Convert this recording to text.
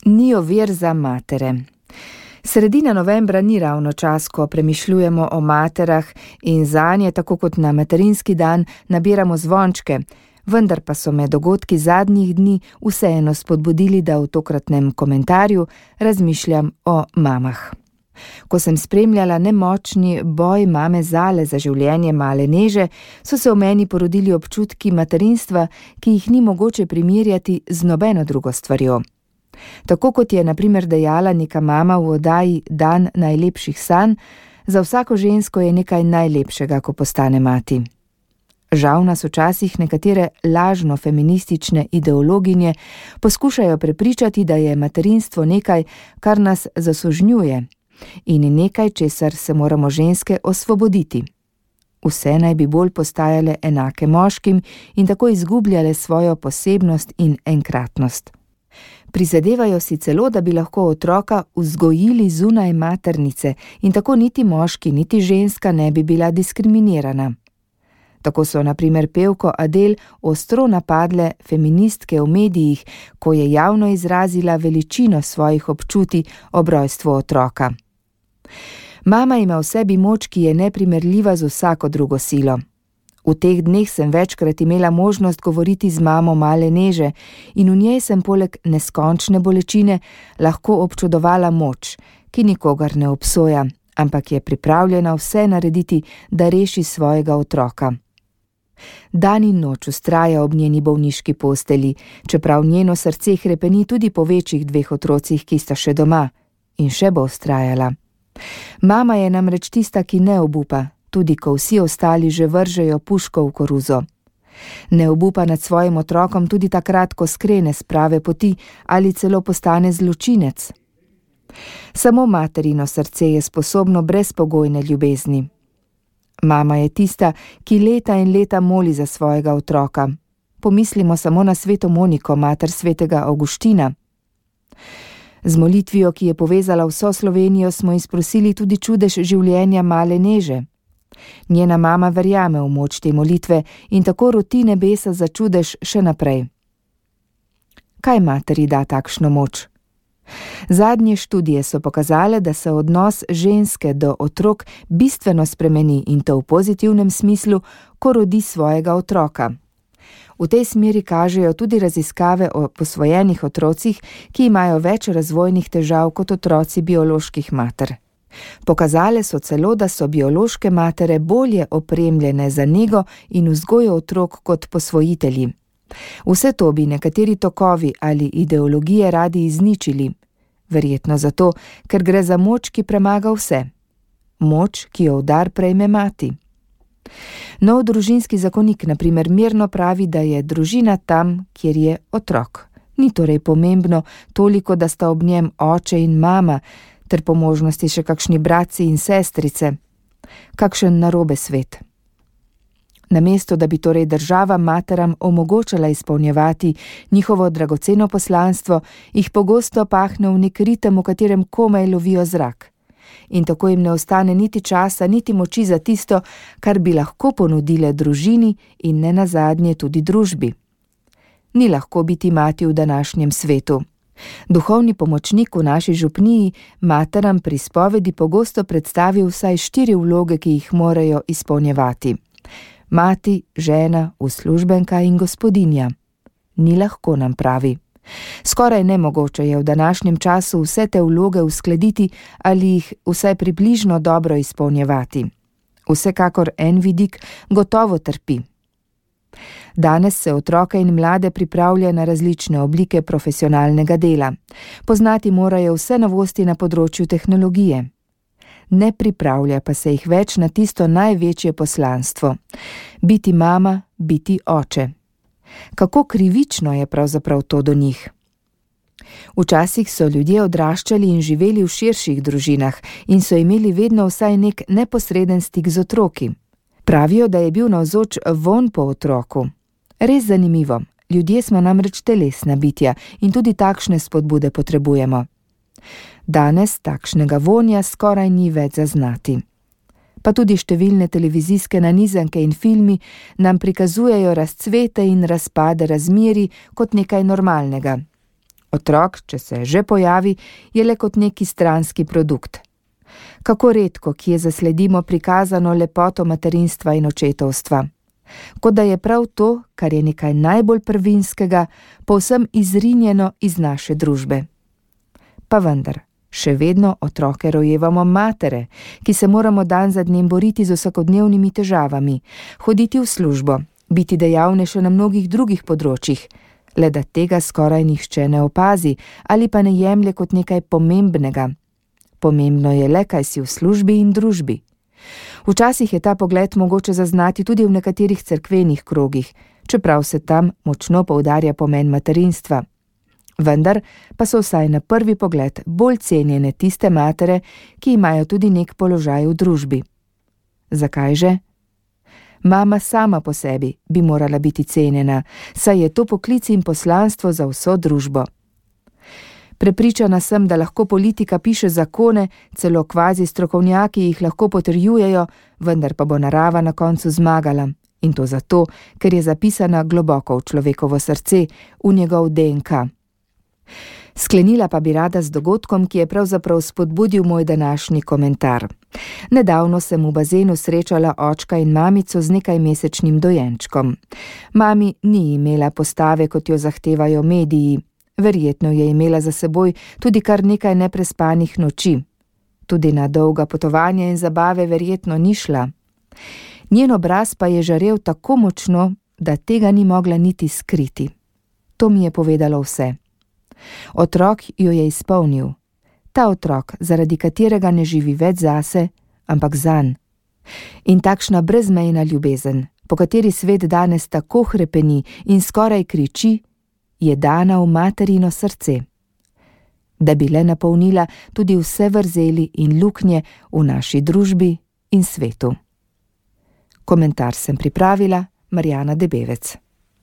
Ni ovir za matere. Sredina novembra ni ravno čas, ko premišljujemo o materah in zanje, tako kot na materinski dan, nabiramo zvončke, vendar pa so me dogodki zadnjih dni vseeno spodbudili, da v tokratnem komentarju razmišljam o mamah. Ko sem spremljala nemočni boj mame Zale za življenje male Neže, so se v meni porodili občutki materinstva, ki jih ni mogoče primerjati z nobeno drugo stvarjo. Tako kot je na primer dejala neka mama v oddaji Dan najlepših sanj, za vsako žensko je nekaj najlepšega, ko postane mati. Žal nas včasih nekatere lažno feministične ideologinje poskušajo prepričati, da je materinstvo nekaj, kar nas zasužnjuje in nekaj, česar se moramo ženske osvoboditi. Vse naj bi bolj postajale enake moškim in tako izgubljale svojo posebnost in enkratnost. Prizadevajo si celo, da bi lahko otroka vzgojili zunaj maternice in tako niti moški, niti ženska ne bi bila diskriminirana. Tako so na primer pevko Adele ostro napadle feministke v medijih, ko je javno izrazila veličino svojih občutij ob rojstvu otroka. Mama ima v sebi moč, ki je neprimerljiva z vsako drugo silo. V teh dneh sem večkrat imela možnost govoriti z mamo male Neže in v njej sem poleg neskončne bolečine lahko občudovala moč, ki nikogar ne obsoja, ampak je pripravljena vse narediti, da reši svojega otroka. Dan in noč vztraja ob njeni bolniški posteli, čeprav njeno srce hrepeni tudi po večjih 2 otrocih, ki sta še doma, in še bo vztrajala. Mama je namreč tista, ki ne obupa, tudi ko vsi ostali že vržejo puško v koruzo. Ne obupa nad svojim otrokom tudi takrat, ko skrene s prave poti ali celo postane zločinec. Samo materino srce je sposobno brezpogojne ljubezni. Mama je tista, ki leta in leta moli za svojega otroka. Pomislimo samo na sveto Moniko, mater svetega Avguština. Z molitvijo, ki je povezala vso Slovenijo, smo izprosili tudi čudež življenja male Neže. Njena mama verjame v moč te molitve in tako roti nebesa za čudež še naprej. Kaj materi da takšno moč? Zadnje študije so pokazale, da se odnos ženske do otrok bistveno spremeni in to v pozitivnem smislu, ko rodi svojega otroka. V tej smeri kažejo tudi raziskave o posvojenih otrocih, ki imajo več razvojnih težav kot otroci bioloških mater. Pokazale so celo, da so biološke matere bolje opremljene za nego in vzgojo otrok kot posvojitelji. Vse to bi nekateri tokovi ali ideologije radi izničili, verjetno zato, ker gre za moč, ki premaga vse. Moč, ki jo v dar prejme mati. Nov družinski zakonik na primer mirno pravi, da je družina tam, kjer je otrok. Ni torej pomembno toliko, da sta ob njem oče in mama, ter po možnosti še kakšni bratci in sestrice. Kakšen narobe svet. Namesto, da bi torej država materam omogočala izpolnjevati njihovo dragoceno poslanstvo, jih pogosto pahne v nek ritem, v katerem komaj lovijo zrak. In tako jim ne ostane niti časa, niti moči za tisto, kar bi lahko ponudile družini in nenazadnje tudi družbi. Ni lahko biti mati v današnjem svetu. Duhovni pomočnik v naši župniji materam pri spovedi pogosto predstavi vsaj 4 vloge, ki jih morajo izpolnjevati. Mati, žena, uslužbenka in gospodinja. Ni lahko, nam pravi. Skoraj nemogoče je v današnjem času vse te vloge uskladiti ali jih vsaj približno dobro izpolnjevati. Vsekakor en vidik gotovo trpi. Danes se otroke in mlade pripravlja na različne oblike profesionalnega dela. Poznati morajo vse novosti na področju tehnologije. Ne pripravlja pa se jih več na tisto največje poslanstvo. Biti mama, biti oče. Kako krivično je pravzaprav to do njih? Včasih so ljudje odraščali in živeli v širših družinah in so imeli vedno vsaj nek neposreden stik z otroki. Pravijo, da je bil navzoč vonj po otroku. Res zanimivo, ljudje smo namreč telesna bitja in tudi takšne spodbude potrebujemo. Danes takšnega vonja skoraj ni več zaznati. Pa tudi številne televizijske nanizanke in filmi nam prikazujejo razcvete in razpade razmerij kot nekaj normalnega. Otrok, če se že pojavi, je le kot neki stranski produkt. Kako redko, kje zasledimo prikazano lepoto materinstva in očetovstva. Kot da je prav to, kar je nekaj najbolj prvinskega, povsem izrinjeno iz naše družbe. Pa vendar, še vedno otroke rojevamo matere, ki se moramo dan za dnem boriti z vsakodnevnimi težavami, hoditi v službo, biti dejavnejše na mnogih drugih področjih, le da tega skoraj nihče ne opazi ali pa ne jemlje kot nekaj pomembnega. Pomembno je le, kaj si v službi in družbi. Včasih je ta pogled mogoče zaznati tudi v nekaterih cerkvenih krogih, čeprav se tam močno poudarja pomen materinstva. Vendar pa so vsaj na prvi pogled bolj cenjene tiste matere, ki imajo tudi nek položaj v družbi. Zakaj že? Mama sama po sebi bi morala biti cenjena, saj je to poklic in poslanstvo za vso družbo. Prepričana sem, da lahko politika piše zakone, celo kvazi strokovnjaki jih lahko potrjujejo, vendar pa bo narava na koncu zmagala. In to zato, ker je zapisana globoko v človekovo srce, v njegov DNK. Sklenila pa bi rada z dogodkom, ki je pravzaprav spodbudil moj današnji komentar. Nedavno sem v bazenu srečala očka in mamico z nekajmesečnim dojenčkom. Mami ni imela postave, kot jo zahtevajo mediji. Verjetno je imela za seboj tudi kar nekaj neprespanih noči. Tudi na dolga potovanja in zabave verjetno ni šla. Njen obraz pa je žarel tako močno, da tega ni mogla niti skriti. To mi je povedalo vse. Otrok jo je izpolnil. Ta otrok, zaradi katerega ne živi več zase, ampak zanj. In takšna brezmejna ljubezen, po kateri svet danes tako hrepeni in skoraj kriči, je dana v materino srce, da bi le napolnila tudi vse vrzeli in luknje v naši družbi in svetu. Komentar sem pripravila Marjana Debevec.